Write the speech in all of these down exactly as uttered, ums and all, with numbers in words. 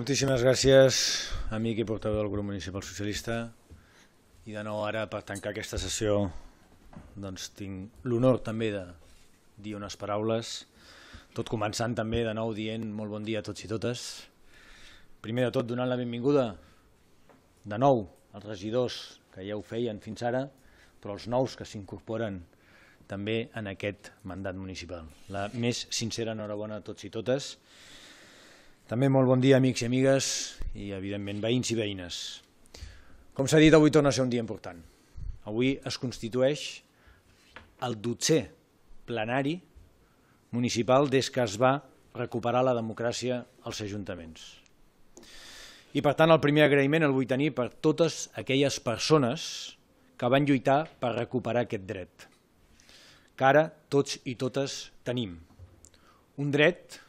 Moltíssimes gràcies, amic i portaveu del grup municipal socialista. I de nou ara, per tancar aquesta sessió, doncs tinc l'honor també de dir unes paraules, tot començant també de nou dient molt bon dia a tots i totes. Primer de tot donant la benvinguda de nou als regidors que ja ho feien fins ara, però els nous que s'incorporen també en aquest mandat municipal. La més sincera enhorabona a tots i totes. També molt bon dia, amics i amigues, i evidentment veïns i veïnes. Com s'ha dit, avui torna a ser un dia important. Avui es constitueix el dotzè plenari municipal des que es va recuperar la democràcia als ajuntaments. I per tant el primer agraïment el vull tenir per totes aquelles persones que van lluitar per recuperar aquest dret, que ara tots i totes tenim. Un dret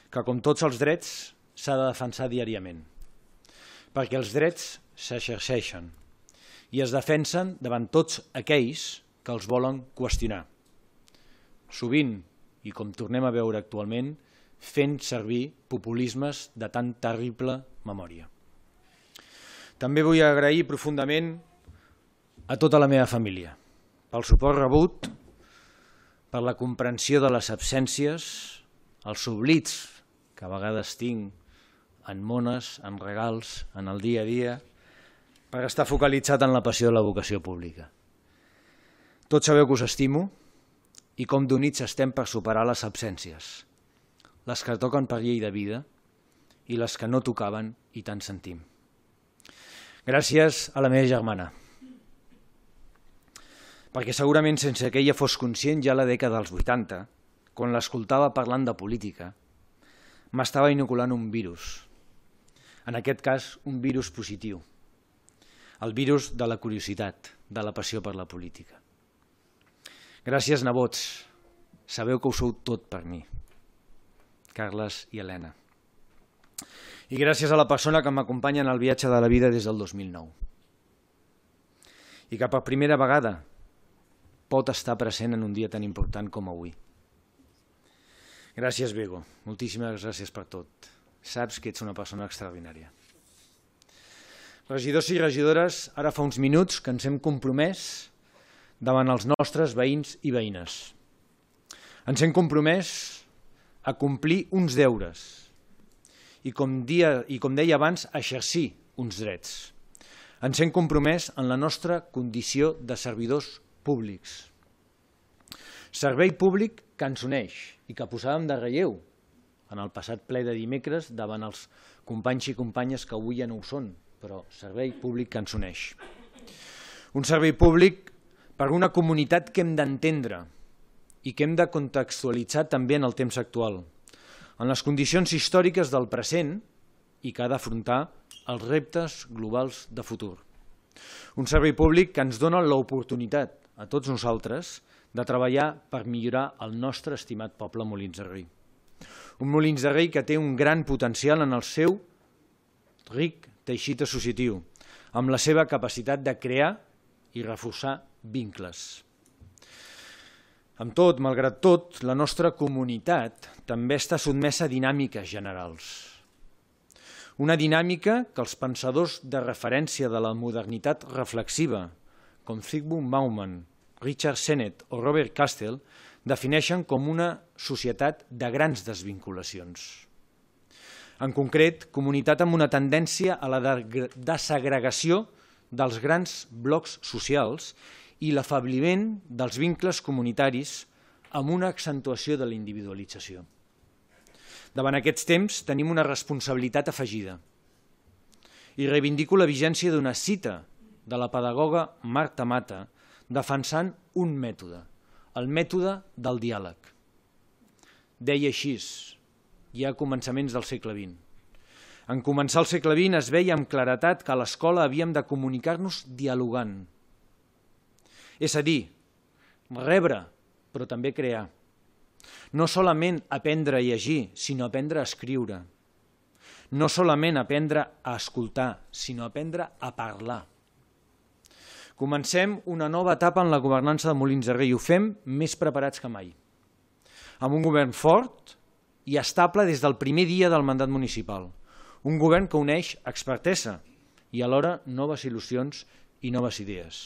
que, com tots els drets, s'ha de defensar diàriament, perquè els drets s'exerceixen i es defensen davant tots aquells que els volen qüestionar. Sovint, i com tornem a veure actualment, fent servir populismes de tan terrible memòria. També vull agrair profundament a tota la meva família pel suport rebut, per la comprensió de les absències, els oblits que a vegades tinc en mones, en regals, en el dia a dia, per estar focalitzat en la passió de la vocació pública. Tots sabeu que us estimo i com d'units estem per superar les absències, les que toquen per llei de vida i les que no tocaven i tant sentim. Gràcies a la meva germana, perquè segurament sense que ella fos conscient ja a la dècada dels vuitanta, quan l'escoltava parlant de política, m'estava inoculant un virus, en aquest cas un virus positiu, el virus de la curiositat, de la passió per la política. Gràcies, nebots, sabeu que ho sou tot per mi, Carles i Helena. I gràcies a la persona que m'acompanya en el viatge de la vida des del dos mil nou i que per primera vegada pot estar present en un dia tan important com avui. Gràcies, Bego. Moltíssimes gràcies per tot. Saps que ets una persona extraordinària. Regidors i regidores, ara fa uns minuts que ens hem compromès davant els nostres veïns i veïnes. Ens hem compromès a complir uns deures i, com, dia, i com deia abans, a exercir uns drets. Ens hem compromès en la nostra condició de servidors públics. Servei públic que ens uneix i que posàvem de relleu en el passat ple de dimecres davant els companys i companyes que avui ja no ho són, però servei públic que ens uneix. Un servei públic per una comunitat que hem d'entendre i que hem de contextualitzar també en el temps actual, en les condicions històriques del present i que ha d'afrontar els reptes globals de futur. Un servei públic que ens dona l'oportunitat a tots nosaltres de treballar per millorar el nostre estimat poble Molins de Rei. Un Molins de Rei que té un gran potencial en el seu ric teixit associatiu, amb la seva capacitat de crear i reforçar vincles. Amb tot, malgrat tot, la nostra comunitat també està sotmesa a dinàmiques generals. Una dinàmica que els pensadors de referència de la modernitat reflexiva, com Zygmunt Bauman, Richard Sennett o Robert Castell, defineixen com una societat de grans desvinculacions. En concret, comunitat amb una tendència a la desagregació dels grans blocs socials i l'afebliment dels vincles comunitaris amb una accentuació de la individualització. Davant aquests temps tenim una responsabilitat afegida i reivindico la vigència d'una cita de la pedagoga Marta Mata defensant un mètode, el mètode del diàleg. Deia així, ja a començaments del segle vint. En començar el segle vint es veia amb claretat que a l'escola havíem de comunicar-nos dialogant. És a dir, rebre, però també crear. No solament aprendre a llegir, sinó aprendre a escriure. No solament aprendre a escoltar, sinó aprendre a parlar. Comencem una nova etapa en la governança de Molins de Rei i ho fem més preparats que mai. Amb un govern fort i estable des del primer dia del mandat municipal. Un govern que uneix expertesa i alhora noves il·lusions i noves idees.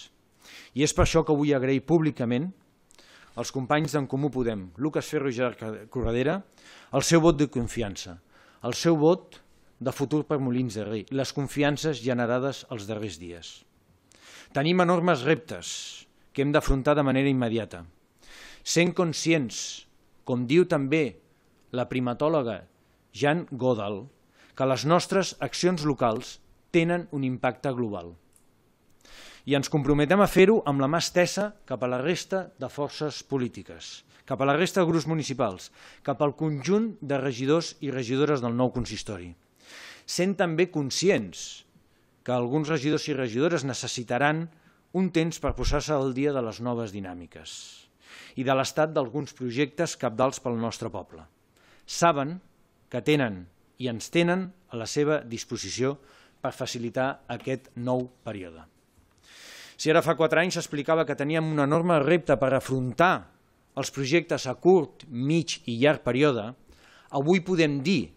I és per això que vull agrair públicament als companys d'en Comú Podem, Lucas Ferro i Gerard Corredera, el seu vot de confiança, el seu vot de futur per Molins de Rei, les confiances generades els darrers dies. Tenim enormes reptes que hem d'afrontar de manera immediata, sent conscients, com diu també la primatòloga Jane Goodall, que les nostres accions locals tenen un impacte global. I ens comprometem a fer-ho amb la mà estesa cap a la resta de forces polítiques, cap a la resta de grups municipals, cap al conjunt de regidors i regidores del nou consistori. Sent també conscients que alguns regidors i regidores necessitaran un temps per posar-se al dia de les noves dinàmiques i de l'estat d'alguns projectes cabdals pel nostre poble. Saben que tenen i ens tenen a la seva disposició per facilitar aquest nou període. Si ara fa quatre anys s'explicava que teníem un enorme repte per afrontar els projectes a curt, mig i llarg període, avui podem dir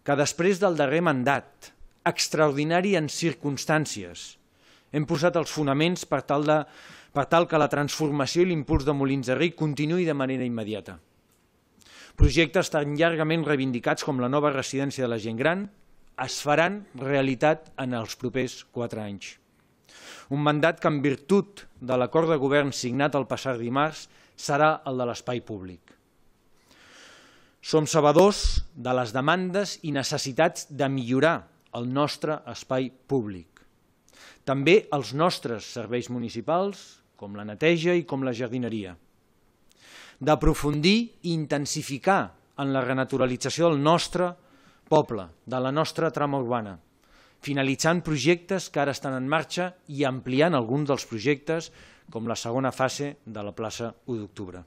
que després del darrer mandat, extraordinari en circumstàncies, hem posat els fonaments per tal, de, per tal que la transformació i l'impuls de Molins de Rei continuï de manera immediata. Projectes tan llargament reivindicats com la nova residència de la gent gran es faran realitat en els propers quatre anys. Un mandat que, en virtut de l'acord de govern signat el passat dimarts, serà el de l'espai públic. Som sabedors de les demandes i necessitats de millorar el nostre espai públic. També els nostres serveis municipals, com la neteja i com la jardineria. D'aprofundir i intensificar en la renaturalització del nostre poble, de la nostra trama urbana, finalitzant projectes que ara estan en marxa i ampliant alguns dels projectes, com la segona fase de la plaça u d'octubre.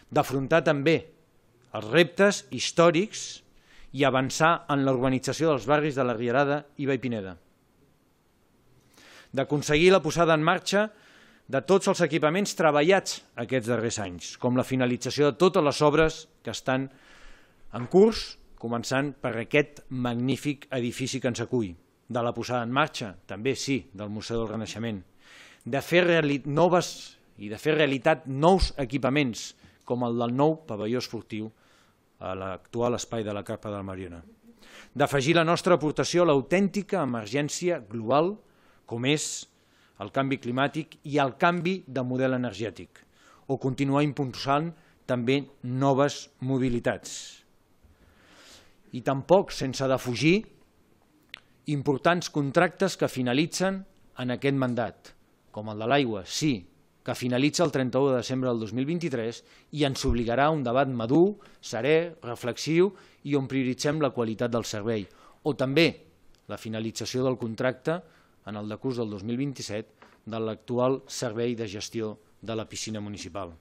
D'afrontar també els reptes històrics i avançar en la urbanització dels barris de la Rierada i Vallpineda. D'aconseguir la posada en marxa de tots els equipaments treballats aquests darrers anys, com la finalització de totes les obres que estan en curs, començant per aquest magnífic edifici que ens acull, de la posada en marxa, també sí, del Museu del Renaixement, de fer noves i de fer realitat nous equipaments, com el del nou pavelló esportiu a l'actual espai de la Carpa del Mariona. D'afegir la nostra aportació a l'autèntica emergència global, com és el canvi climàtic i el canvi de model energètic, o continuar impulsant també noves mobilitats. I tampoc sense defugir importants contractes que finalitzen en aquest mandat, com el de l'aigua, sí, que finalitza el trenta-u de desembre del dos mil vint-i-tres i ens obligarà a un debat madur, serè, reflexiu i on prioritzem la qualitat del servei, o també la finalització del contracte en el decurs del dos mil vint-i-set de l'actual servei de gestió de la piscina municipal.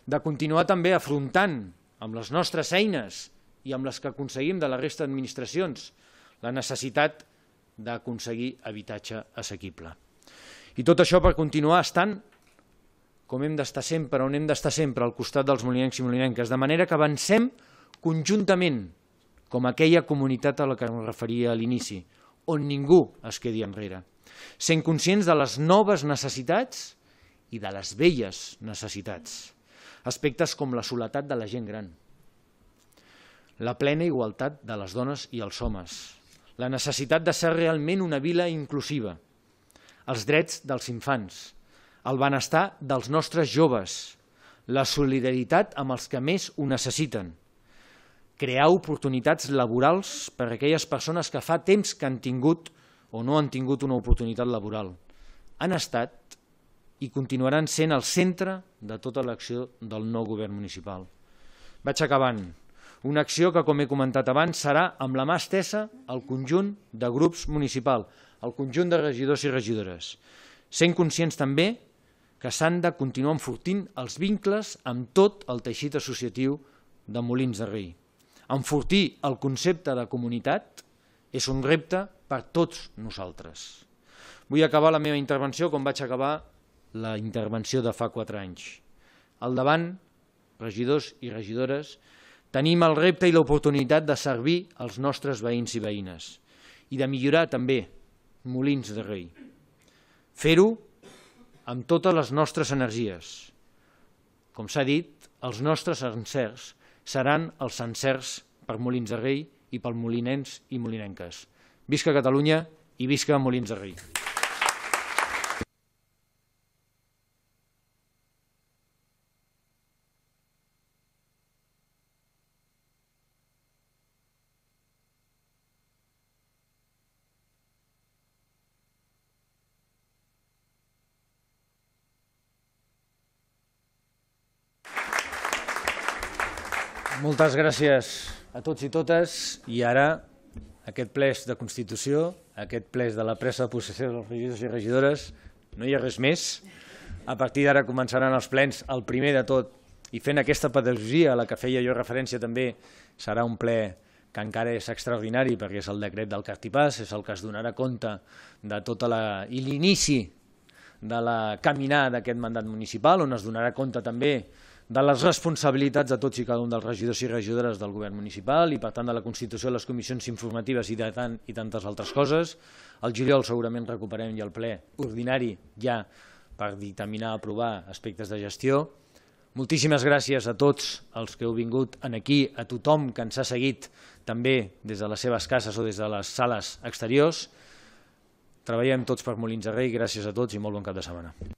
De continuar també afrontant amb les nostres eines i amb les que aconseguim de la resta d'administracions la necessitat d'aconseguir habitatge assequible. I tot això per continuar estant, com hem d'estar sempre, on hem d'estar sempre, al costat dels molinencs i molinenques, de manera que avancem conjuntament, com aquella comunitat a la que em referia a l'inici, on ningú es quedi enrere, sent conscients de les noves necessitats i de les velles necessitats, aspectes com la soledat de la gent gran, la plena igualtat de les dones i els homes, la necessitat de ser realment una vila inclusiva, els drets dels infants, el benestar dels nostres joves, la solidaritat amb els que més ho necessiten, crear oportunitats laborals per a aquelles persones que fa temps que han tingut o no han tingut una oportunitat laboral. Han estat i continuaran sent el centre de tota l'acció del nou govern municipal. Vaig acabant. Una acció que, com he comentat abans, serà amb la mà estesa al conjunt de grups municipals, al conjunt de regidors i regidores, sent conscients també que s'han de continuar enfortint els vincles amb tot el teixit associatiu de Molins de Rei. Enfortir el concepte de comunitat és un repte per tots nosaltres. Vull acabar la meva intervenció com vaig acabar la intervenció de fa quatre anys. Al davant, regidors i regidores, Tenim el repte i l'oportunitat de servir els nostres veïns i veïnes i de millorar també Molins de Rei. Fer-ho amb totes les nostres energies. Com s'ha dit, els nostres encerts seran els encerts per Molins de Rei i pel molinens i molinenques. Visca Catalunya i visca Molins de Rei. Moltes gràcies a tots i totes i ara aquest ple de Constitució, aquest ple de la presa de possessió dels regidors i regidores, no hi ha res més. A partir d'ara començaran els plens, el primer de tot, i fent aquesta pedagogia a la que feia jo referència també, serà un ple que encara és extraordinari perquè és el decret del Cartipàs, és el que es donarà compte de tota la... i l'inici de la caminada d'aquest mandat municipal, on es donarà compte també de les responsabilitats de tots i cada un dels regidors i regidores del govern municipal i, per tant, de la constitució de les comissions informatives i de tant i tantes altres coses. Al juliol segurament recuperem ja el ple ordinari ja per dictaminar, aprovar aspectes de gestió. Moltíssimes gràcies a tots els que heu vingut aquí, a tothom que ens ha seguit també des de les seves cases o des de les sales exteriors. Treballem tots per Molins de Rei, gràcies a tots i molt bon cap de setmana.